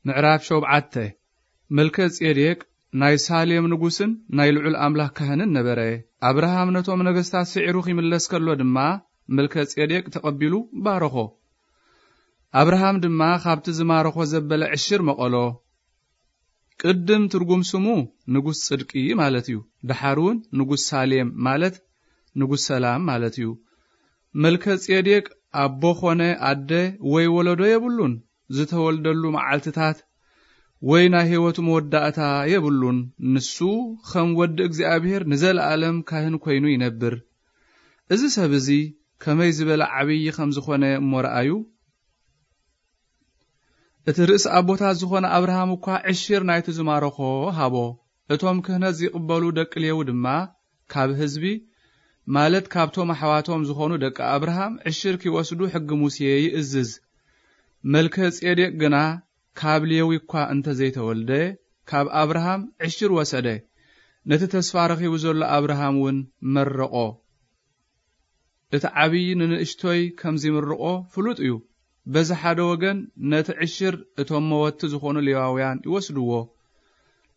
ምዕራፍ ሸውዓተ። መልከ ጼዴቅ ናይ ሳሌም ንጉስን ናይ ልዑል ኣምላኽ ካህንን ነበረ። ኣብርሃም ነቶም ነገስታት ስዒሩ ኺምለስ ከሎ ድማ፣ መልከ ጼዴቅ ተቐቢሉ ባረኾ። ኣብርሃም ድማ ካብቲ ዝማረኾ ዘበለ ዕሽር መቐሎ። ቅድም ትርጉም ስሙ ንጉስ ጽድቂ ማለት እዩ። ደሓር እውን ንጉስ ሳሌም ማለት ንጉስ ሰላም ማለት እዩ። መልከ ጼዴቅ ኣቦ ኾነ ኣደ ወይ ወለዶ የብሉን። ዝተወልደሉ መዓልትታት ወይ ናይ ህይወቱ መወዳእታ የብሉን። ንሱ ኸም ወዲ እግዚኣብሔር ንዘለኣለም ካህን ኮይኑ ይነብር። እዚ ሰብ እዚ ከመይ ዝበለ ዓብዪ ከም ዝኾነ እሞ ረኣዩ። እቲ ርእሲ ኣቦታት ዝኾነ ኣብርሃም እኳ ዕሽር ናይቲ ዝማረኾ ሃቦ። እቶም ክህነት ዚቕበሉ ደቂ ሌዊ ድማ ካብ ህዝቢ፣ ማለት ካብቶም ኣሕዋቶም ዝኾኑ ደቂ ኣብርሃም ዕሽር ኪወስዱ ሕጊ ሙሴ ይእዝዝ። መልከ ጼዴቅ ግና ካብ ሌዊ እኳ እንተ ዘይተወልደ፣ ካብ ኣብርሃም ዕሽር ወሰደ። ነቲ ተስፋ ረኺቡ ዘሎ ኣብርሃም እውን መረቖ። እቲ ዓብዪ ንንእሽቶይ ከም ዚምርቖ ፍሉጥ እዩ። በዚ ሓደ ወገን ነቲ ዕሽር እቶም መወትቲ ዝኾኑ ሌዋውያን ይወስድዎ።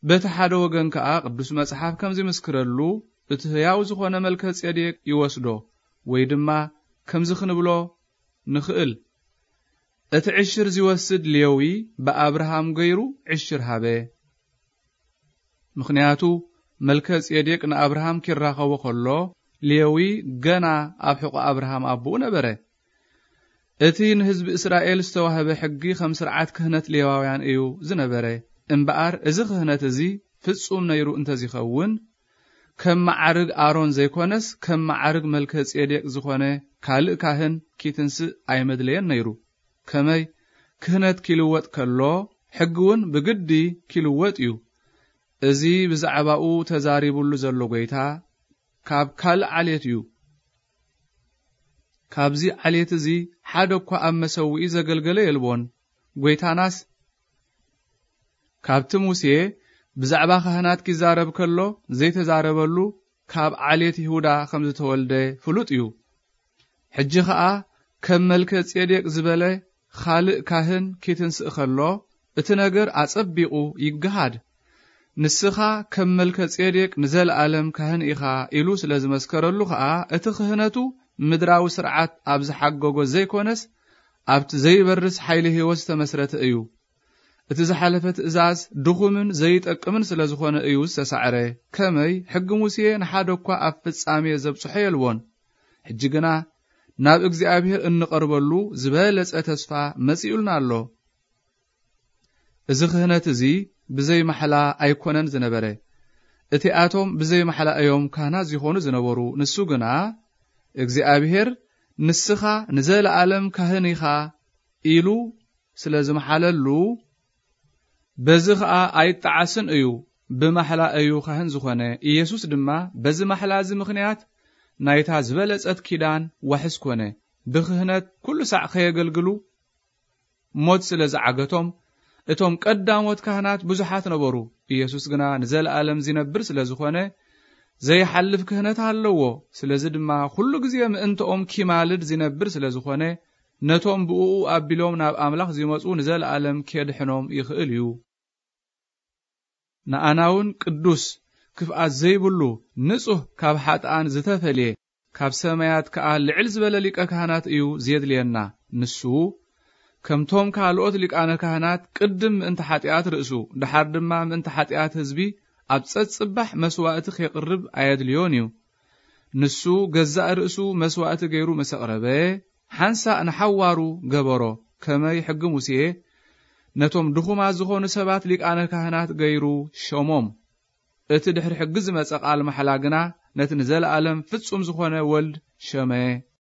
በቲ ሓደ ወገን ከኣ ቅዱስ መጽሓፍ ከም ዚምስክረሉ እቲ ህያው ዝኾነ መልከ ጼዴቅ ይወስዶ፣ ወይ ድማ ከምዚ ክንብሎ ንኽእል፣ እቲ ዕሽር ዚወስድ ሌዊ ብኣብርሃም ገይሩ ዕሽር ሃበ። ምኽንያቱ መልከ ጼዴቅ ንኣብርሃም ኪራኸቦ ኸሎ ሌዊ ገና ኣብ ሕቖ ኣብርሃም ኣቦኡ ነበረ። እቲ ንህዝቢ እስራኤል ዝተዋህበ ሕጊ ኸም ስርዓት ክህነት ሌዋውያን እዩ ዝነበረ። እምበኣር እዚ ክህነት እዚ ፍጹም ነይሩ እንተዚኸውን፣ ከም መዓርግ ኣሮን ዘይኮነስ ከም መዓርግ መልከ ጼዴቅ ዝኾነ ካልእ ካህን ኪትንስእ ኣይመድለየን ነይሩ። ከመይ ክህነት ኪልወጥ ከሎ ሕጊ እውን ብግዲ ኪልወጥ እዩ። እዚ ብዛዕባኡ ተዛሪቡሉ ዘሎ ጐይታ ካብ ካልእ ዓሌት እዩ። ካብዚ ዓሌት እዚ ሓደ እኳ ኣብ መሰውኢ ዘገልገለ የልቦን። ጐይታናስ ካብቲ ሙሴ ብዛዕባ ካህናት ኪዛረብ ከሎ ዘይተዛረበሉ ካብ ዓሌት ይሁዳ ከም ዝተወልደ ፍሉጥ እዩ። ሕጂ ኸኣ ከም መልከ ጼዴቅ ዝበለ ኻልእ ካህን ኪትንስእ ኸሎ እቲ ነገር ኣጸቢቑ ይገሃድ። ንስኻ ከም መልከ ጼዴቅ ንዘለኣለም ካህን ኢኻ ኢሉ ስለ ዝመስከረሉ ኸኣ እቲ ክህነቱ ምድራዊ ስርዓት ኣብ ዝሓገጎ ዘይኮነስ ኣብቲ ዘይበርስ ሓይሊ ህይወት ዝተመስረተ እዩ። እቲ ዝሓለፈ ትእዛዝ ድኹምን ዘይጠቅምን ስለ ዝኾነ እዩ ዝተሳዕረ። ከመይ ሕጊ ሙሴ ንሓደ እኳ ኣብ ፍጻሜ ዘብጽሖ የልቦን። ሕጂ ግና ናብ እግዚኣብሔር እንቐርበሉ ዝበለጸ ተስፋ መጺኡልና ኣሎ። እዚ ክህነት እዚ ብዘይ ማሕላ ኣይኮነን ዝነበረ። እቲኣቶም ብዘይ ማሕላ እዮም ካህናት ዝኾኑ ዝነበሩ። ንሱ ግና እግዚኣብሔር ንስኻ ንዘለኣለም ካህን ኢኻ ኢሉ ስለ ዝመሓለሉ፣ በዚ ኸኣ ኣይጠዓስን እዩ፣ ብማሕላ እዩ ካህን ዝኾነ። ኢየሱስ ድማ በዚ ማሕላ እዚ ምኽንያት ናይታ ዝበለጸት ኪዳን ዋሕስ ኮነ። ብክህነት ኩሉ ሳዕ ከየገልግሉ ሞት ስለ ዝዓገቶም፣ እቶም ቀዳሞት ካህናት ብዙሓት ነበሩ። ኢየሱስ ግና ንዘለኣለም ዚነብር ስለ ዝኾነ፣ ዘይሓልፍ ክህነት ኣለዎ። ስለዚ ድማ ኩሉ ግዜ ምእንተኦም ኪማልድ ዚነብር ስለ ዝኾነ፣ ነቶም ብእኡ ኣቢሎም ናብ ኣምላኽ ዚመጹ ንዘለኣለም ኬድሕኖም ይኽእል እዩ። ንኣናውን ቅዱስ፣ ክፍኣት ዘይብሉ፣ ንጹህ፣ ካብ ሓጥኣን ዝተፈልየ፣ ካብ ሰማያት ከኣ ልዕል ዝበለ ሊቀ ካህናት እዩ ዜድልየና። ንሱ፣ ከምቶም ካልኦት ሊቃነ ካህናት ቅድም ምእንቲ ሓጢኣት ርእሱ፣ ደሓር ድማ ምእንቲ ሓጢኣት ህዝቢ ኣብ ጸጽባሕ መስዋእቲ ኼቕርብ ኣየድልዮን እዩ። ንሱ ገዛእ ርእሱ መስዋእቲ ገይሩ ምስ ኣቕረበ፣ ሓንሳእ ንሓዋሩ ገበሮ። ከመይ ሕጊ ሙሴ ነቶም ድኹማት ዝኾኑ ሰባት ሊቃነ ካህናት ገይሩ ሸሞም። እቲ ድሕሪ ሕጊ ዝመጸ ቃል ማሕላ ግና ነቲ ንዘለኣለም ፍጹም ዝኾነ ወልድ ሸመ።